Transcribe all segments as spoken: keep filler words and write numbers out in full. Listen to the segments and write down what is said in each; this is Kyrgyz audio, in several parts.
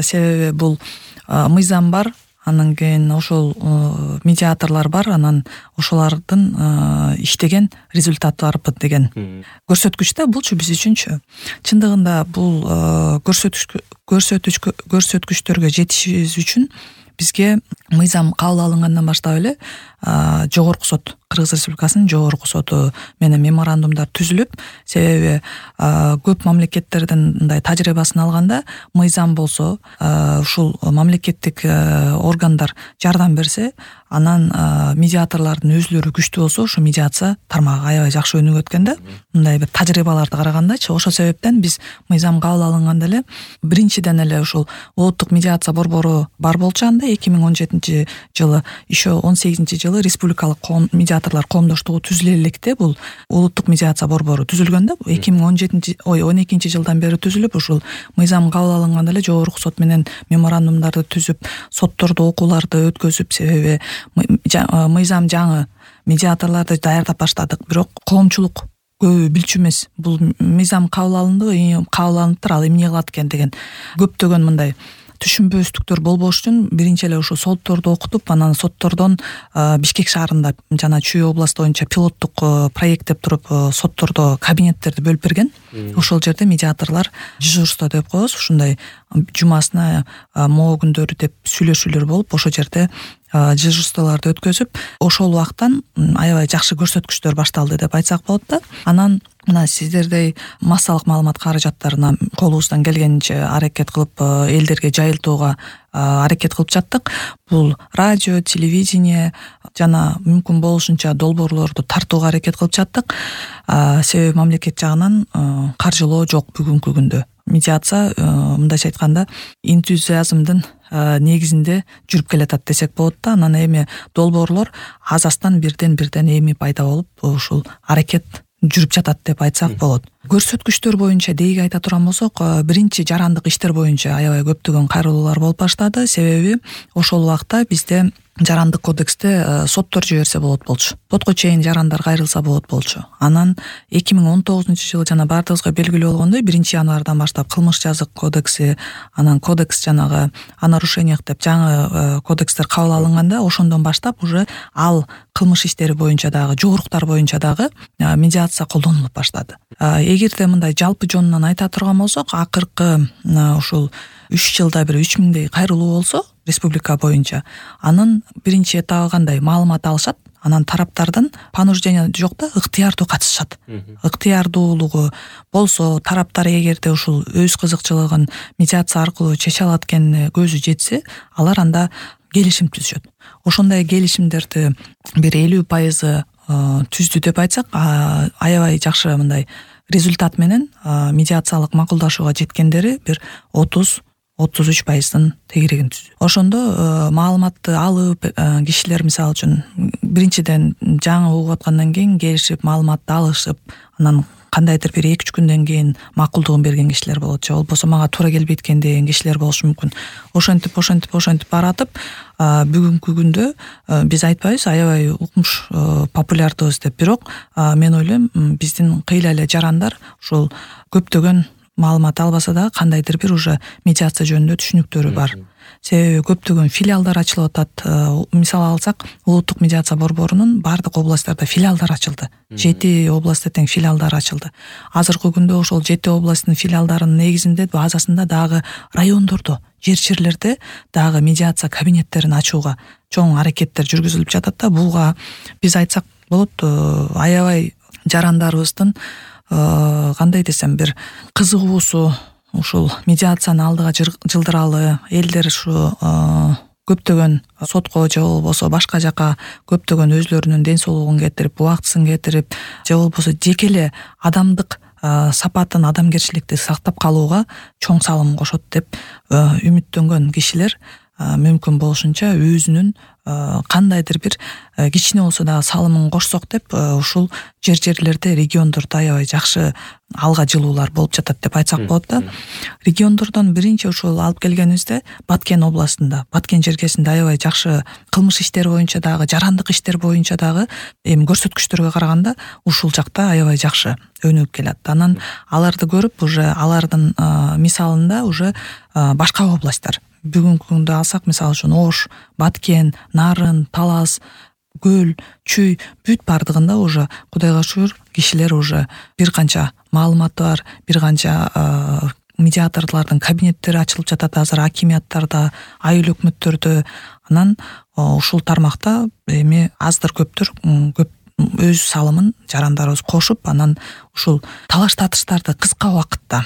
себеби бул мыйзам бар, анан кийин ошол медиаторлор бар, анан ошолордун иштеген результаты барбы деген көрсөткүч да булчу биз үчүнчү. Чындыгында бул көрсөткүч көрсөткүчтөргө жетишибиз үчүн бизге мыйзам кабыл алынгандан баштап эле жогорку сот, Кыргыз Республикасынын жогорку соту менен меморандумдар түзүлүп, себеби көп мамлекеттердин мындай тажрыйбасын алганда мыйзам болсо, ушул мамлекеттик органдар жардам берсе, анан медиаторлордун өзүлөрү күчтүү болсо, ушу медиация тармагы аябай жакшы өнүгөт экен да. Мындай бир тажрыйбаларды карагандачы, ошол себептен биз мыйзам кабыл алынганда эле биринчиден эле ушул улуттук медиация борбору бар болчу анда эки миң он жетинчи жылы, еще он сегизинчи жылы республикалык коом медиаторлор коомдоштугу түзүлө электе бул улуттук медиация борбору түзүлгөн да. эки миң он жетинчи ой он экинчи жылдан бери түзүлүп, ушул мыйзам кабыл алынганда эле жогорку сот менен меморандумдарды түзүп, соттордо окууларды өткөзүп, себеби мыйзам жаңы, медиаторлорду даярдап баштадык, бирок коомчулук көбү билчү эмес. Бул мыйзам кабыл алынды, кабыл алыныптыр, ал эмне кылат экен деген көптөгөн мындай түшүнбөстүктөр болбош үчүн биринчи эле ушул сотторду окутуп, анан соттордон Бишкек шаарында жана Чүй областы боюнча пилоттук проект деп туруп соттордо кабинеттерди бөлүп берген. Ошол жерде медиаторлор дежурство деп коебуз, ушундай жумасына могу күндөрү деп сүйлөшүүлөр болуп, ошол жерде дежурстволорду өткөзүп, ошол убактан аябай жакшы көрсөткүчтөр башталды деп айтсак болот да. Анан мына сиздердей массалык маалымат каражаттарына колубуздан келгенинче аракет кылып, элдерге жайылтууга аракет кылып жаттык. Бул радио, телевидение жана мүмкүн болушунча долбоорлорду тартууга аракет кылып жаттык. Себеби мамлекет жагынан каржылоо жок бүгүнкү күндө. Медиация мындайча айтканда энтузиазмдын негизинде жүрүп келатат десек болот да. Анан эми долбоорлор аз аздан бирден бирден эми пайда болуп, ушул аракет жүрүп жатат деп айтсак болот. Көрсөткүчтөр боюнча дейги айта турган болсок, биринчи жарандык иштер боюнча аябай көптөгөн кайрылуулар болуп баштады. Себеби ошол убакта бизде жарандык кодексте соттор жиберсе болот болчу. Сотко чейин жарандар кайрылса болот болчу. Анан эки миң он тогузунчу жылы жана баардыгыбызга белгилүү болгондой биринчи январдан баштап кылмыш жазык кодекси, анан кодекс жанагы о нарушениях деп жаңы кодекстер кабыл алынганда, ошондон баштап уже ал кылмыш иштери боюнча дагы, жоруктар боюнча дагы медиация колдонулуп баштады. Эгерде мындай жалпы жонунан айта турган болсок, акыркы ушул үч жылда бир үч миңдей кайрылуу болсо республика боюнча, анын биринчи этабы кандай маалымат алышат, анан тараптардан понуждение жок да, ыктыярдуу катышат. Ыктыярдуулугу болсо, тараптар эгерде ушул өз кызыкчылыгын медиация аркылуу чече алат экенине көзү жетсе, алар анда келишим түзүшөт. Ошондой келишимдерди бир элүү пайызы түздү деп айтсак, аябай жакшы мындай результат менен медиациялык макулдашууга жеткендери бир отуз отуз үч пайыздын тегерегин түздү. Ошондо маалыматты алып, кишилер мисалы үчүн биринчиден жаңы угуп аткандан кийин келишип маалыматты алышып, анан кандайдыр бир эки үч күндөн кийин макулдугун берген кишилер болот, же болбосо мага туура келбейт экен деген кишилер болушу мүмкүн. Ошентип ошентип ошентип баратып, бүгүнкү күндө биз айтпайбыз аябай укмуш популярдыбыз деп, бирок мен ойлойм биздин кыйла эле жарандар ушул көптөгөн маалымат албаса дагы кандайдыр бир уже медиация жөнүндө түшүнүктөрү бар. Себеби көптөгөн филиалдар ачылып атат. Мисал алсак, улуттук медиация борборунун бардык областтарда филиалдар ачылды. жети областта тең филиалдар ачылды. Азыркы күндө ошол жети областтын филиалдарынын негизинде базасында дагы райондордо, жер-жерлерде дагы медиация кабинеттерин ачууга чоң аракеттер жүргүзүлүп жатат да. Буга биз айтсак болот, аябай жарандарыбыздын кандай десем, бир кызыгуусу ушул медиацияны алдыга жылдыралы, элдер ушу көптөгөн сотко же болбосо башка жака көптөгөн өзлөрүнүн ден соолугун кетирип, убактысын кетирип, же болбосо жеке эле адамдык сапатын, адамгерчиликти сактап калууга чоң салым кошот деп үмүттөнгөн кишилер мүмкүн болушунча өзүнүн кандайдыр бир кичине болсо дагы салымын кошсок деп ушул жер жерлерде региондордо аябай жакшы алга жылуулар болуп жатат деп айтсак болот да. Региондордон биринчи ушул алып келгенибизде Баткен областында, Баткен жергесинде аябай жакшы кылмыш иштери боюнча дагы, жарандык иштер боюнча дагы эми көрсөткүчтөргө караганда ушул жакта аябай жакшы өнүгүп келат. Анан аларды көрүп уже алардын мисалында уже башка областтар бүгүнкү күндө алсак, мисалы үчүн Ош, Баткен, Нарын, Талас, Көл, Чүй бүт бардыгында уже Кудайга шүгүр кишилер уже бир канча маалыматы бар, бир канча медиаторлордун кабинеттери ачылып жатат азыр акимияттарда, айыл өкмөттөрдө. Анан ушул тармакта эми аздыр көптүр көп өз салымын жарандарыбыз кошуп, анан ушул талаш татыштарды кыска убакытта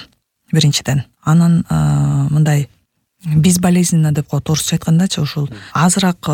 биринчиден, анан мындай безболезненно деп коет орусча айткандачы, ушул азыраак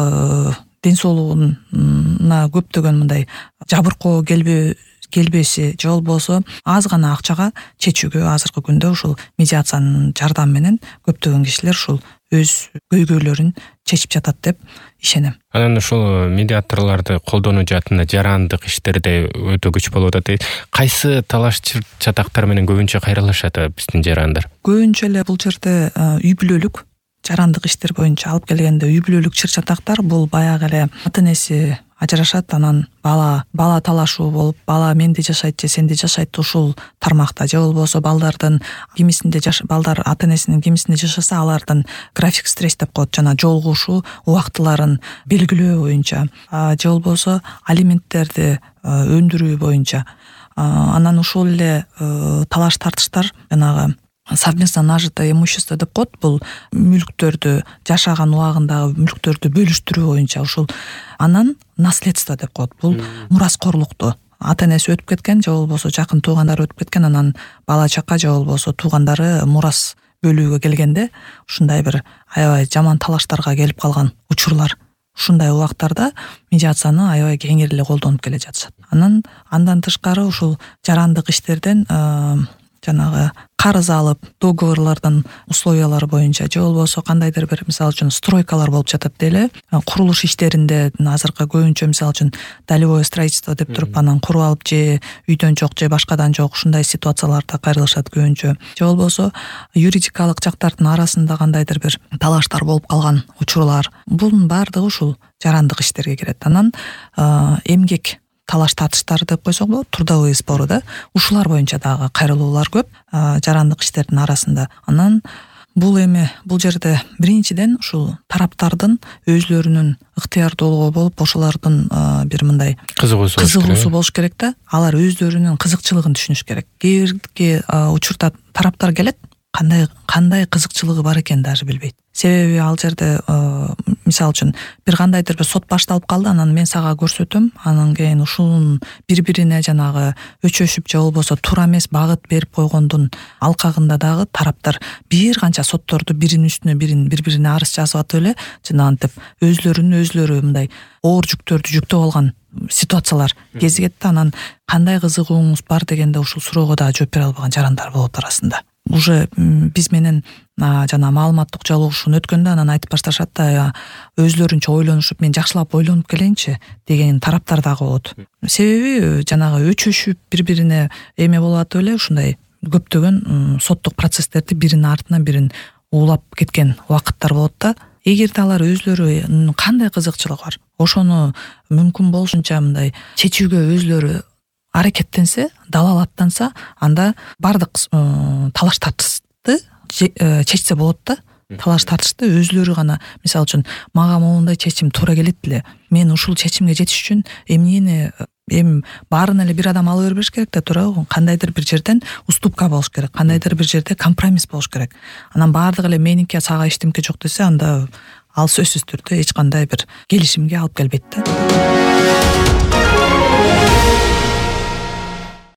ден соолугуна көптөгөн мындай жабыркоо келбе келбеси же болбосо аз гана акчага чечүүгө азыркы күндө ушул медиациянын жардамы менен көптөгөн кишилер ушул өз көйгөйлөрүн чечип жатат деп ишенем. Анан ушул медиаторлорду колдонуу жаатында жарандык иштерде өтө күч болуп атат. Кайсы талаш чатактар менен көбүнчө кайрылышат биздин жарандар? Көбүнчө эле бул жерде үй бүлөлүк жарандык иштер боюнча алып келгенде үй бүлөлүк чыр чатактар бул баягы эле ата энеси ажырашат, анан бала бала талашуу болуп, бала менде жашайт же сенде жашайт ушул тармакта, же болбосо балдардын кимисинде балдар ата энесинин кимисинде жашаса алардын график стресс деп коет, жана жолугушуу убактыларын белгилөө боюнча, же болбосо алименттерди өндүрүү боюнча. Анан ушул эле талаш тартыштар жанагы совместно нажитое имущество деп коет, бул мүлктөрдү жашаган убагындагы мүлктөрдү бөлүштүрүү боюнча ушул. Анан наследство деп коет, бул мураскорлукту ата энеси өтүп кеткен же болбосо жакын туугандары өтүп кеткен, анан бала чака же болбосо туугандары мурас бөлүүгө келгенде ушундай бир аябай жаман талаштарга келип калган учурлар. Ушундай убактарда медиацияны аябай кеңири эле колдонуп келе жатышат. Анан андан тышкары ушул жарандык иштерден жанагы карыз алып, договорлордун условиялары боюнча же болбосо кандайдыр бир мисалы үчүн стройкалар болуп жатат деле, курулуш иштеринде азыркы көбүнчө мисалы үчүн долевое строительство деп туруп анан куруп алып же үйдөн жок же башкадан жок ушундай ситуацияларда кайрылышат көбүнчө. Же болбосо юридикалык жактардын арасында кандайдыр бир талаштар болуп калган учурлар. Бунун баардыгы ушул жарандык иштерге кирет. Анан эмгек талаш татыштары деп койсок болот, трудовые споры да, ушулар боюнча дагы кайрылуулар көп жарандык иштердин арасында. Анан бул эми бул жерде биринчиден ушул тараптардын өзлөрүнүн ыктыярдуулугу болуп, ошолордун бир мындай кызыгуусу кызыгуусу болуш керек да. Алар өздөрүнүн кызыкчылыгын түшүнүш керек. Кээ бирки учурда тараптар келет, кандай кандай кызыкчылыгы бар экен даже билбейт. Себеби ал жерде мисалы үчүн бир кандайдыр бир сот башталып калды, анан мен сага көрсөтөм, анан кийин ушунун бири-бирине жанагы өчөшүп же болбосо туура эмес багыт берип койгондун алкагында дагы тараптар бир канча сотторду биринин үстүнө бирин бири-бирине арыз жазып атып эле жанагынтип өзлөрүнүн өзлөрү мындай оор жүктөрдү жүктөп алган ситуациялар кезигет да. Анан кандай кызыгууңуз бар дегенде ушул суроого дагы жооп бере албаган жарандар болот арасында. Уже биз менен жана маалыматтык жолугушууну өткөндө анан айтып башташат да, өзлөрүнчө ойлонушуп, мен жакшылап ойлонуп келейинчи деген тараптар дагы болот. Себеби жанагы өчөшүп бири-бирине эме болуп атып эле ушундай көптөгөн соттук процесстерди биринин артынан бирин уулап кеткен убакыттар болот да. Эгерде алар өзлөрү кандай кызыкчылыгы бар, ошону мүмкүн болушунча мындай чечүүгө өзлөрү аракеттенсе, далалаттанса, анда бардык талаш тартышты чечсе болот да. Талаш тартышты өзлөрү гана, мисалы үчүн мага моундай чечим туура келет эле, мен ушул чечимге жетиш үчүн эмнени эми баарын эле бир адам ала бербеш керек да, туурабы? Кандайдыр бир жерден уступка болуш керек, кандайдыр бир жерде компромисс болуш керек. Анан баардыгы эле меники сага эчтемке жок десе, анда ал сөзсүз түрдө эч кандай бир келишимге алып келбейт да.